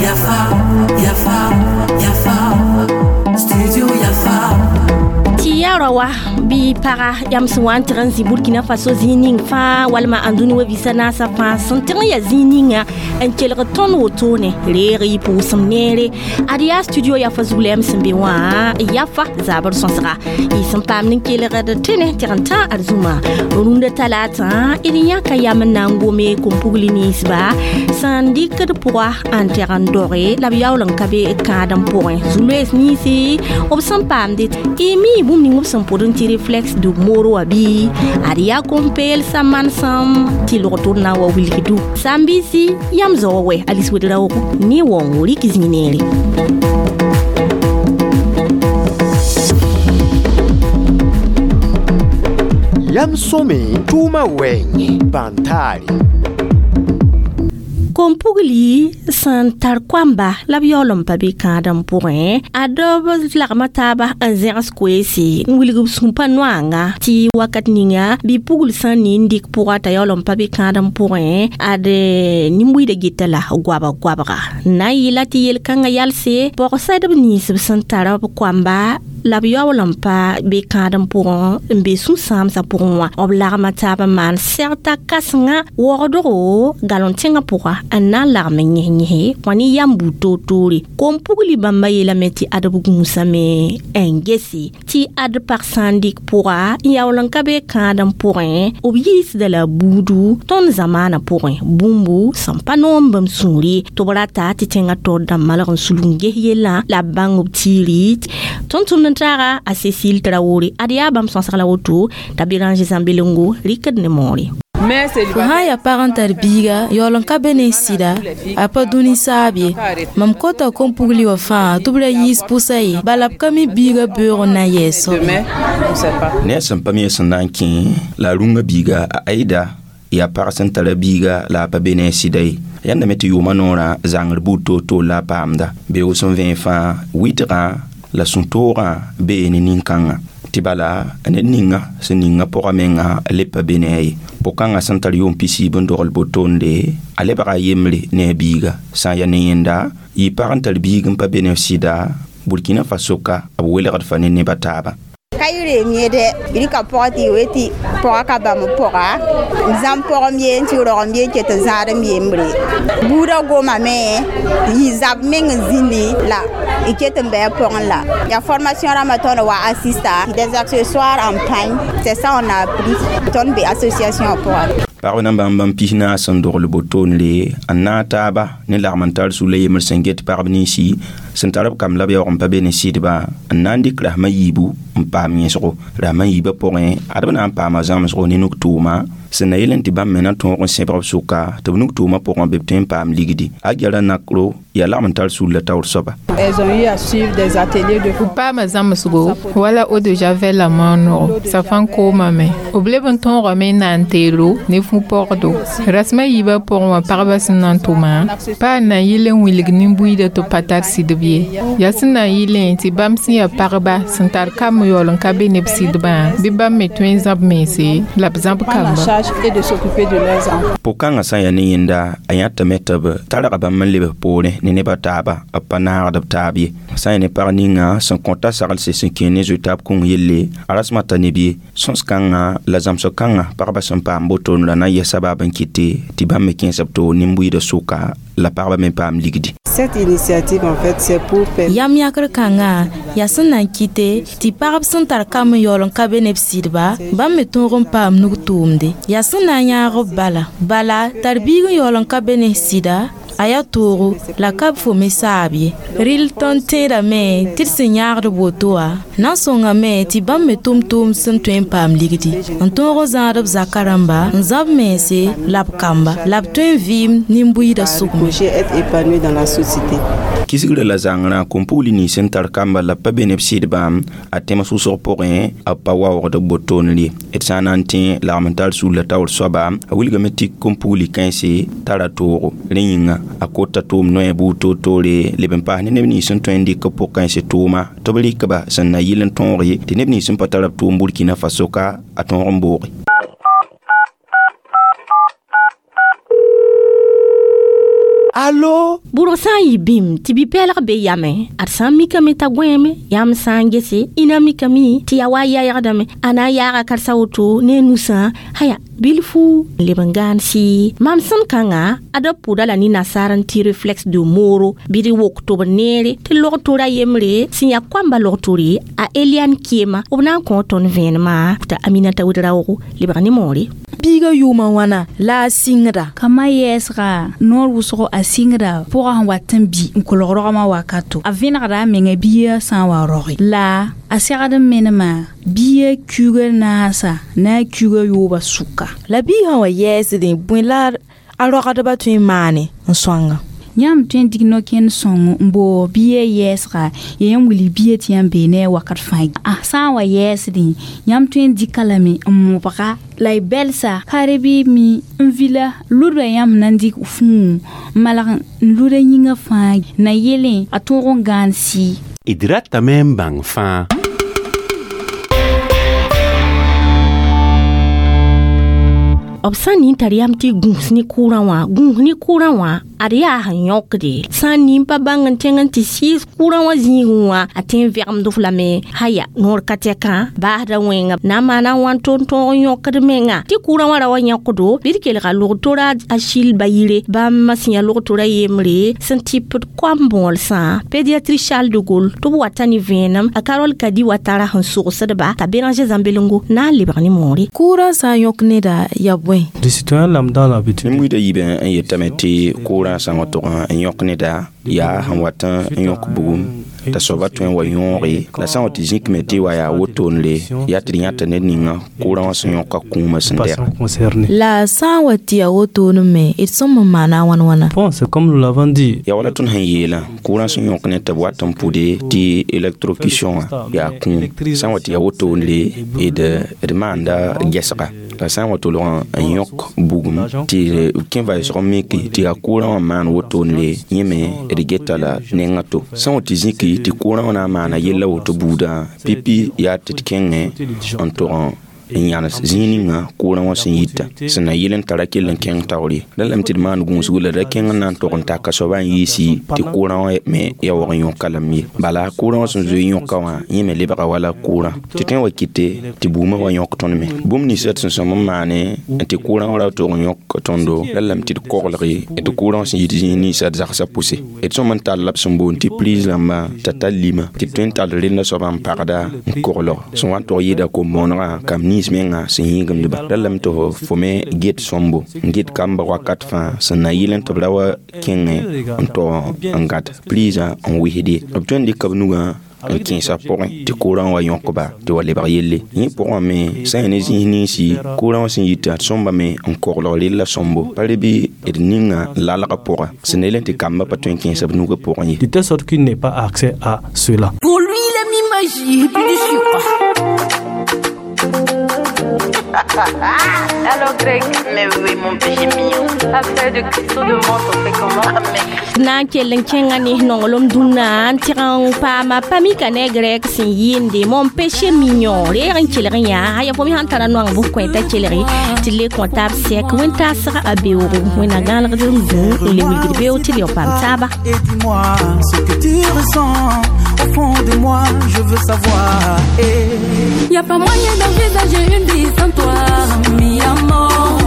Yafa, Yafa, Yafa, Studio Yafa. Tɩ yaa rao bɩ paga yam sẽn wa n tɩg n zĩ Burkina Faso zĩig ning fãa walma ãndũni wa visa naasã fãa sẽn tɩg n yaa zĩig ninga n kelg tõnd wotone reeg y pʋʋsem neere ad yaa studio Yafa zug la yam sẽn be wã Yafa zabr sõsga y sẽn paam n kelgd tẽne tɩg n tã ad zũma rũndã talaatã d yãka yam n na n gome kom-pugli ninsba sẽn dɩkd pʋga n tɛg n doge la b yaool n ka be kãadem pʋgẽ zu-loees ninsi b sẽn paamde y mi bũmb ning b sẽn pʋd n tɩ réflexe de moro wã bɩ ad yaa kom-peelsã manesem tɩ log-tʋd na n wa wilgdu sãn-biisi yam zao wɛ Alice Ouédraogo ne waoongo rɩk zĩig neere. Yam sõme tʋʋmã wɛɛngẽ bãn-taare. Kom-pugli sẽn tar koamba la b yaool n pa be kãadem pʋgẽ a dab lagma taaba n zẽgs koeese n wilg b sũmpa noanga tɩ wakat ninga bɩ pugl sã n nin dɩk pʋga t'a yaool n pa be kãadem pʋgẽ ad nin-buiidã geta la goabg goabga n na n yɩla tɩ yel-kãngã yalse pɔg-sɛdb nins b sẽn tara b koamba la b yaool n pa be kãadem pʋgẽ n be sũ-sãamsã pʋgẽ wã b lagma taab n maan sɛgta kãsenga waoogdgo galon tẽngã pʋga n na n lagm n yẽs-yẽse kõ ne yam buud toor-toore kom-pugli bãmba yeelame tɩ ad b gũusame n gese tɩ ad pag sã n dɩk pʋga n yaool n ka be kãadem pʋgẽ b yiisda la buudu tõnd zamaanã pʋgẽ bũmbu sẽn pa noom bãmb sũuri tɩ b rata tɩ tẽngã taoor dãmb malg n sulg n ges yellã la b bãng b tiiri tõnd tʋmd n taaga a Cécile Traoré ad yaa bãmb sõsg la woto t'a Béranger Zãmbelengo rɩkd ne moore. Fo sã n yaa pag n tar biiga yaool n ka be ne sɩda a pa dũni saab ye mam kota kom-pugli wã fãa tɩ b ra yiis pʋsa ye bala b ka mi biiga beoog n na n yɛɛs soab ye. Ne a sẽn pa mi sẽn na n kẽ la a rũngã biiga a Aida yaa pag sẽn tara biiga la a pa be ne a sɩda ye yãndame tɩ yʋʋmã noorã zãngr buud toor-toor la a paamda beoog sẽn vẽeg fãa wɩtgã la sũ-toogã bee ne nin-kãngã tɩ bala ned ninga sẽn ninga pʋga menga le pa be ne a ye pʋg-kãngã sẽn tar yʋʋm pisiib n dogl botonde a lebga a yembre ne a biiga sã n yaa ne yẽnda yɩ pag n tar biig n pa be ne sɩda Burkina Faso ka b welgd fa ne nebã taaba. Ka yɩ reem yẽ dɛ rɩka pɔgɔ tɩ y tɩ pɔga ka bãmb pɔga n zãmb pɔgem ye n tɩ rogem ye n ket n zãadem yembre buudã gomame yɩ zab meng n zĩndi la y ket n bɩ a pɔgẽ la ya formation rãmbã tõnd wa assista des accessoires en pagne, c'est ça on a appris tõnd be association pʋgã. Pagb na bãmb bãmb pis naas sẽn dogl botonre n naag taaba ne lagm n tar sula yembr sẽn get pagb ninsi sẽn tar b kamb la b yaoog n pa be ne sɩdbã n na n dɩk rasmã yiibu n paam yẽsgo rasmã yiibã pʋgẽ ad b na n paama zãmsgo ne nug-tʋʋma sẽn na yel n tɩ bãmb me na tõog n sẽbg b sʋka tɩ b nug-tʋʋmã pʋgẽ bɩ b tõe n paam ligdi a Gyara Nakro yaa lagm n tar sulla taoor soaba. Elles ont eu à suivre des ateliers de B paama zãmsgo wala eau de javel la maonego safãn koomame b leb n tõogame n na n teelo ne fu-pɔgdo rasmã yiibã pʋgẽ wã pagba sẽn na n tʋma pa n na n yɩl n wilg nin-buiidã tɩ b pa tar sɩdb ye yaa sẽn na n yɩlẽ tɩ bãmb sẽn yaa pagba sẽn tar kamb yaool n ka be ne b sɩdbã bɩ bãmb me tõe n zãb mense la b zãb prendre en kamba. Charge et de s'occuper de leurs enfants. Pʋg-kãngã sã n yaa ne yẽnda a yãtame tɩ b targa bãmb n lebs poorẽ ne nebã taaba b pa naagd b taab ye sã n yaa ne pag ninga sẽn kõta saglse sẽn kẽ ne zoe-taab kũng yelle a rasmã ta neb ye sõs-kãngã la zãmsg kãngã pagba sẽn paam boton la na n yɛs sabab n kɩte tɩ bãmb me kẽes b toor nin-buiidã sʋka la pagba me paam ligdi. Cette initiative, en fait, c'est pour permettre Yam yãkr kãngã yaa sẽn na n kɩte tɩ pagb sẽn tar kamb n yaool n ka be ne b sɩdba bãmb me tõog n paam nug-tʋʋmde yaa sẽn na n yãag b bala bala tar biig n yaool n ka be ne sɩda a yaa toogo la ka b fo me saab ye rɩl tõnd tẽedame tɩ d sẽn yãagd woto wã na n sõngame tɩ bãmb me tʋm tʋʋm sẽn tõe n paam ligdi n tõog n zãad b zakã rãmba n zãb mense la b kamba la b tõe n vɩɩm nin-buiidã sʋgme. Coucher, être épanoui dans la société. Kisgrã la zãngrã kom-pugli nins sẽn tar kamba la b pa be ne b sɩdbã a tẽms wʋsg pʋgẽ b pa waoogd b botonr ye d sã n na n tẽ lagm n tar sulla taoor soaba a wilgame tɩ kom-pugli kãense tara toogo rẽ yĩnga a kota tʋʋm noɛ buud toor-toore leb n paas ne neb nins sẽn tõe n dɩk b pʋg-kãens tʋʋma tɩ b rɩkba sẽn na yɩl n tõog ye tɩ neb nins sẽn pa tara b tʋʋm Burkina Faso ka a tõog n booge. Allo? Bʋrg sã n yɩ bĩm tɩ bi-pɛɛlg be yamẽ ad sã n mikame t'a gõeeme yãmb sã n gese ĩna mikame tɩ yaa wa a yaygdame a na n yaaga karsa woto ne a nusã haya bilfu n leb n gãan sɩ mam sẽn kãnga ad b pʋda la ne nasaar n tɩ reflexe de mooro bɩ d wok tɩ b neere tɩ log tora yembre sẽn yaa koamba log tore a Eliane Kiema b na n kõ tõnd vẽenemã t'a Aminata Ouedraogo lebg ne moore. Biiga yʋʋmã wãna la a sɩngda. Kama yɛɛsga noor wʋsgo a sɩngda pʋgã sẽn wat n bi n kolg rogmã wakato a vẽnegda a menga bia sã n wa roge la a segd n menema bia kuuga naasa na a kuuga yooba sʋka. La biig sã wa yɛɛsdẽ bõe la a rogdbã tõe n maane n sõanga? Yãmb tõe n dig no-kẽnd sõng n boog bia yɛɛsga ya yãmb wilg bia tɩ yãmb bee ne a wakat fãa a sã n wa yɛɛsdẽ yãmb tõe n dɩka lame n mobga la y bɛlsa kare bɩ mi n vila ludba yãmb na n dɩk fũu n malg n luda yĩngã fãa na yelẽ a tõog n gãan sɩ. D ratame n bãng fãa. B sã n nin tar yam tɩ gũus ne kʋʋrã wã gũus ne kʋʋrã wã ad yaa sẽn yõkde sã n nin pa bãng n tẽng n tɩ sɩɩs kʋʋrã wã zĩigẽ wã a tõe n vɛgemd f lame haya noor ka tɛkã baasda wẽnga na n maana wãn tʋ n tõog n yõkd menga tɩ kʋʋrã wã ra wa yõkdo bɩ d kelga log-tora a Achille Bayire bãmb sẽn yaa log-tora yembre sẽn tɩpd koam bõolsã pédiatrie Charles de Gaulle tɩ b wata ne vẽenem a Carole Kadi wa tara sẽn sogsdba t'a Béranger Zãmbelengo na n lebg ne moore. Kʋʋrã sã n yõk neda yaa bõe? Des citoyens lambda l'habitude. Neb yiibã n yetame tɩ kʋʋrã sã n wa tʋg n yõk neda yaa sẽn wat n yõk bugum t'a soaba tõe n wa yõoge la sã n wa tɩ zĩkme tɩ wa yaa wotone yaa tɩ d yãta ned ninga kʋʋrã wã sẽn yõka kũumã sẽn dɛg. La sã n wa tɩ yaa wotone me d sõm n maana wãn wãna? Bon, c'est comme nous l'avons dit. Yaa wala tõnd sẽn yeelã kʋʋrã sẽn yõk ned tɩ b wat n pʋde tɩ électrocution wã yaa kũum sã n wa tɩ yaa wotone d maanda gɛsga la sã n wa tolg n yõk bugum tɩ kẽ vaɩsg miki tɩ yaa kʋʋrã wã maan wotone yẽ me d geta la nengã to sã n wa tɩ zĩki tɩ kʋʋrã wã na n maana yella woto buudã pipi yaa tɩ d kẽngẽ n tog n yãnes zĩig ninga kʋʋrã wã sẽn yita sẽn na yɩl n tara kell n kẽng taoor ye la lame tɩ d maan gũusgo la da kẽng n na n tog n taka soaba n yiisi tɩ kʋʋrã wã me ya waog n yõka lame ye bala kʋʋrã wã sẽn zoe yõka wã yẽ me lebga wala kʋʋrã tɩ tõe n wa kɩte tɩ buumã wa yõk tõnd me bũmb ninsã d sẽn sõm n maane tɩ kʋʋrã wã ra tog n yõk tõndo la lame tɩ d koglge tɩ kʋʋrã wã sẽn yit zĩig ninsã d zagsã pʋse d sõm n tall la b sẽn boond tɩ prise rãmba t'a tar lima tɩ d tõe n tall renda soaba n pagda n koglg sẽn wa n tog yɩɩda kom-bõonegã kam nins menga sẽn yĩgemdba la lame tɩ fo me get sõmbo n get kamba wakat fãa sẽn na yɩl n tɩ b ra wa kẽngẽ n tog n gãd prise n wɩsd ye b tõe n dɩka b nugã n kẽesa pʋgẽ tɩ kʋʋrã wa yõkba tɩ wa lebg yelle yẽ pʋgã me sã n yaa ne zĩis ninsi kʋʋrã wã sẽn yita d sõmba me n koglg rella sõmbo pa re bɩ d ninga lalgã pʋga sẽn na yel n tɩ kambã pa tõe n kẽesa b nugã pʋgẽ ye. De telle sorte qu'il n'ait pas accès à cela. Pour lui, il a mis magie et puis du sucre. Alors Greg, mais oui mon péché mignon. Affaire de cristaux de menthe, on fait comment? Na n kell n kẽnga ne nonglem dũnna n tɩg n paama pa mika ne Greg sẽn yɩɩnde mon péché mignon reeg n kelg yã aya fo me sãn tara noang bʋ kõ t'a kelge tɩ le kõ taab sɛk wẽn-taasg a beoogo wẽnna gãalgd n gũ n le wilgd beoog tɩ d yao paam taaba. Et dis-moi ce que tu ressens au fond de moi, je veux savoir. Et y a pas moyen d'envisager une vie sans toi, mi amor.